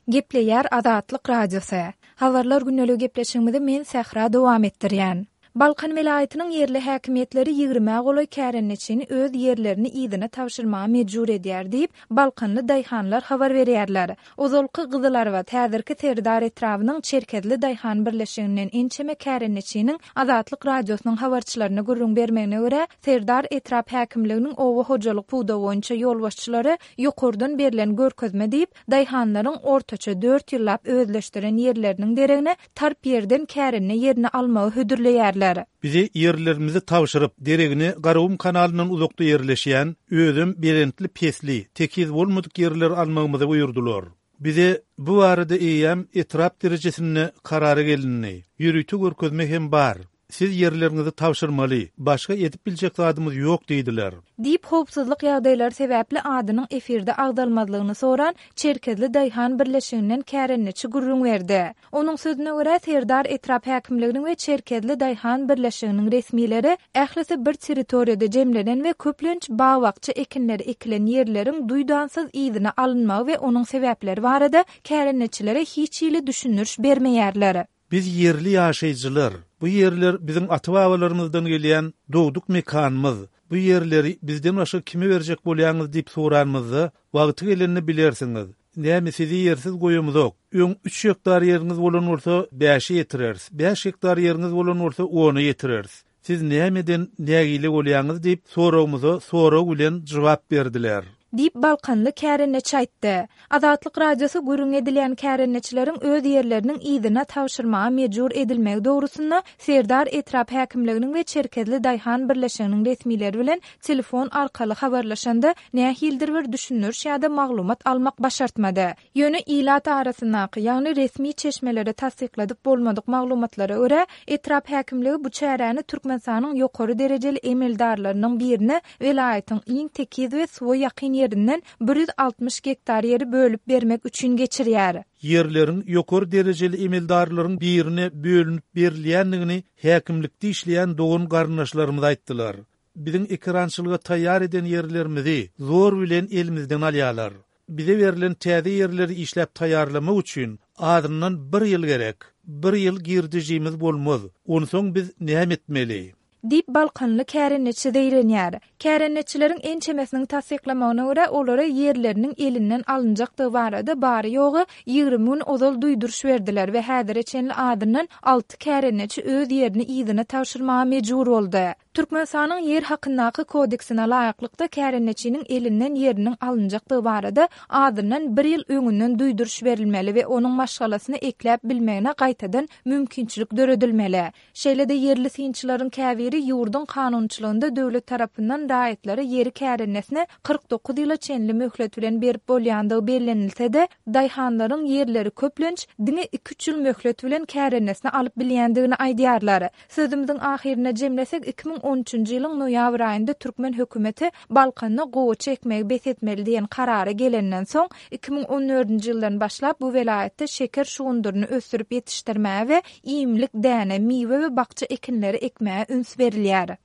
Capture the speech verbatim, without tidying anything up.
Gepleýär Azatlyk Radiosy. Habarlar gündeligi gepleşigimizi men Sähra dowam etdirýän. Balkan welaýatynyň ýerli häkimiýetleri ýigrimä golaý kärendeçini öz ýerlerini yzyna tabşyrmaga mejbur edýär diýip, balkanly daýhanlar habar berýärler. Ozalky Gyzylarbat, häzirki Serdar etrabynyň Çerkezli daýhan birleşiginden ençeme kärendeçiniň Azatlyk Radiosynyň habarçylaryna gürrüň bermegine görä, Serdar etrap häkimliginiň oba hojalyk pudagy boýunça ýolbaşçylary ýokardan berlen görkezme diýip, daýhanlaryň ortaça dört ýyllap özleşdiren ýerleriniň deregine tarp ýerden kärende ýerini almagy hödürleýärler. Bize ýerlerimizi tabşyryp, deregine Garagum kanalyndan uzakda ýerleşýän, özem belentli-pesli, tekiz bolmadyk ýerleri almagymyzy buýurdylar. Bize bu barada eýýäm etrap derejesinde karara gelindi. Ýörite görkezme hem bar. Siz ýerleriňizi tabşyrmaly, başga edip biljek zadymyz ýok diýdiler. Diýip, howpsuzlyk ýagdaýlary sebäpli adynyň efirde agzalmazlygyny soran Çerkezli daýhan birleşiginden kärendeçi gürrüň berdi. Onuň sözüne görä, Serdar etrap häkimliginiň we Çerkezli daýhan birleşiginiň resmileri ählisi bir territoriýada jemlenen we köplenç bag-bakja ekinleri ekilen ýerleriň duýdansyz yzyna alynmagy we onuň sebäpleri barada kärendeçilere hiç hili düşündiriş bermeýärler. Biz ýerli ýaşaýjylar, bu ýerler biziň ata-babalarymyzdan gelýän dogduk mekanymyz, bu ýerleri bizden başga kime berjek bolýaňyz diýip soranymyzda, wagty gelende bilersiňiz. Näme sizi ýersiz goýamyzok. Öň üç gektar ýeriňiz bolan bolsa, bäşe ýetireris, bäş gektar ýeriňiz bolan bolsa, ona ýetireris. Siz nämeden nägile bolýaňyz diýip, soragymyza sorag bilen jogap berdiler. Diýip, balkanly kärendeçi aýtdy. Azatlyk Radiosy gürrüň edilýän kärendeçileriň öz ýerleriniň yzyna tabşyrmaga mejbur edilmegi dogrusynda Serdar etrap häkimliginiň we Çerkezli daýhan birleşiginiň resmileri bilen telefon arkaly habarlaşanda, nähilidir bir düşündiriş ýa-da maglumat almak başartmady. Ýöne ilat arasyndaky, ýagny resmi çeşmelere tassykladyp bolmadyk maglumatlara görä, etrap häkimligi bu çäräni Türkmenistanyň ýokary derejeli emeldarlarynyň birine welaýatyň iň tekiz we suwa ýakyn ýerinden bir ýüz altmyş gektar ýeri bölüp bermek üçin geçirýär. Ýerleriň ýokary derejeli emeldarlaryň birine bölünip berilýändigini häkimlikde işleýän dogan-garyndaşlarymyz aýtdylar. Biziň ekerançylyga taýýar eden ýerlerimizi zor bilen elimizden alýarlar. Bize berlen täze ýerleri işläp taýýarlamak üçin azyndan bir ýyl gerek. Bir ýyl girdejimiz bolmaz. Onsoň biz näme etmeli? Diýip, balkanly kärendeçi zeýrenýär. Kärendeçileriň ençemesiniň tassyklamagyna görä, olara ýerleriniň elinden alynjakdygy barada bary-ýogy ýigrimi gün ozal duýduryş berdiler we häzire çenli azyndan alty kärendeçi öz ýerini yzyna tabşyrmaga mejbur boldy. Türkmenistanyň Ýer hakyndaky kodeksine laýyklykda, kärendeçiniň elinden ýeriniň alynjakdygy barada azyndan bir ýyl öňünden duýduryş berilmeli we onuň maşgalasyny ekläp bilmegine gaýtadan mümkinçilik döredilmeli. Şeýle-de ýerli synçylaryň käbiri ýurduň kanunçylygynda döwlet tarapyndan raýatlara ýeri kärendesinä kyrk dokuz ýyla çenli möhlet bilen berip bolýandygy bellenilse-de, daýhanlaryň ýerleri köplenç diňe iki-üç ýyl möhlet bilen kärendesinä alyp bilýändigini aýdýarlar. Sözümiziň ahyrynda jemlesek, iki müň on üçünji ýylyň noýabr aýynda türkmen hökümeti Balkanda gowaça ekmegi bes etmeli diýen karara gelenden soň, iki müň on dördünji ýyldan başlap bu welaýatda şeker şugundyryny ösdürip ýetişdirmäge we iýmlik däne, miwe we bakja ekinleri ekmäge üns berilýär.